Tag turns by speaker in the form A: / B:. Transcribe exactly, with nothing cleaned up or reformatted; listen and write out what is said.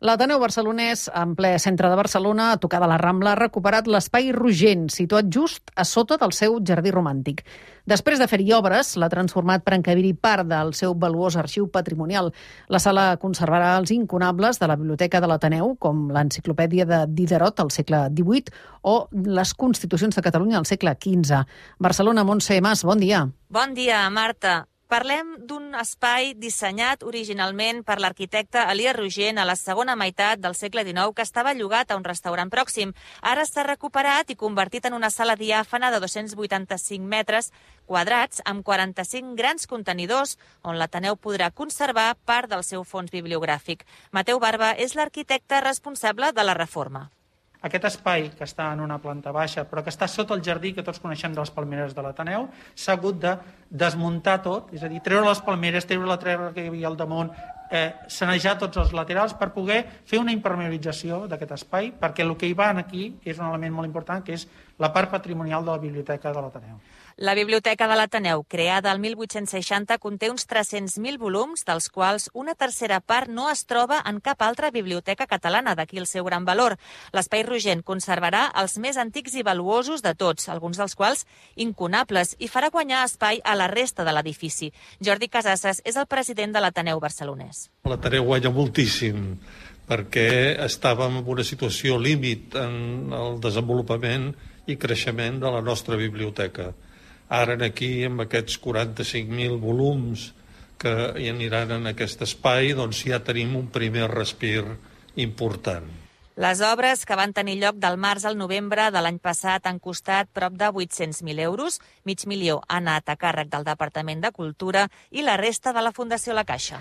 A: L'Ateneu Barcelonès, en ple centre de Barcelona, a tocar de la Rambla, ha recuperat l'espai Rogent, situat just a sota del seu jardí romàntic. Després de fer-hi obres, l'ha transformat per encabir-hi part del seu valuós arxiu patrimonial. La sala conservarà els incunables de la Biblioteca de l'Ateneu, com l'Enciclopèdia de Diderot al segle divuit o les Constitucions de Catalunya al segle quinze. Barcelona, Montse Mas, bon dia.
B: Bon dia, Marta. Parlem d'un espai dissenyat originalment per l'arquitecte Elies Rogent a la segona meitat del segle dinou que estava llogat a un restaurant pròxim. Ara s'ha recuperat i convertit en una sala diàfana de dos-cents vuitanta-cinc metres quadrats amb quaranta-cinc grans contenidors on l'Ateneu podrà conservar part del seu fons bibliogràfic. Mateu Barba és l'arquitecte responsable de la reforma.
C: Aquest espai, que està en una planta baixa, però que està sota el jardí que tots coneixem de les palmeres de l'Ateneu, s'ha hagut de desmuntar tot, és a dir, treure les palmeres, treure la terra que hi havia al damunt, eh, sanejar tots els laterals per poder fer una impermeabilització d'aquest espai, perquè el que hi va aquí és un element molt important, que és la part patrimonial de la Biblioteca de l'Ateneu.
B: La Biblioteca de l'Ateneu, creada el mil vuit-cents seixanta, conté uns tres-cents mil volums, dels quals una tercera part no es troba en cap altra biblioteca catalana, d'aquí el seu gran valor. L'Espai Rogent conservarà els més antics i valuosos de tots, alguns dels quals incunables, i farà guanyar espai a la resta de l'edifici. Jordi Casasses és el president de l'Ateneu barcelonès.
D: L'Ateneu guanya moltíssim perquè estàvem en una situació límit en el desenvolupament i creixement de la nostra biblioteca. Ara aquí, amb aquests quaranta-cinc mil volums que hi aniran en aquest espai, doncs ja tenim un primer respir important.
B: Les obres, que van tenir lloc del març al novembre de l'any passat, han costat prop de vuit-cents mil euros. Mig milió ha anat a càrrec del Departament de Cultura i la resta de la Fundació La Caixa.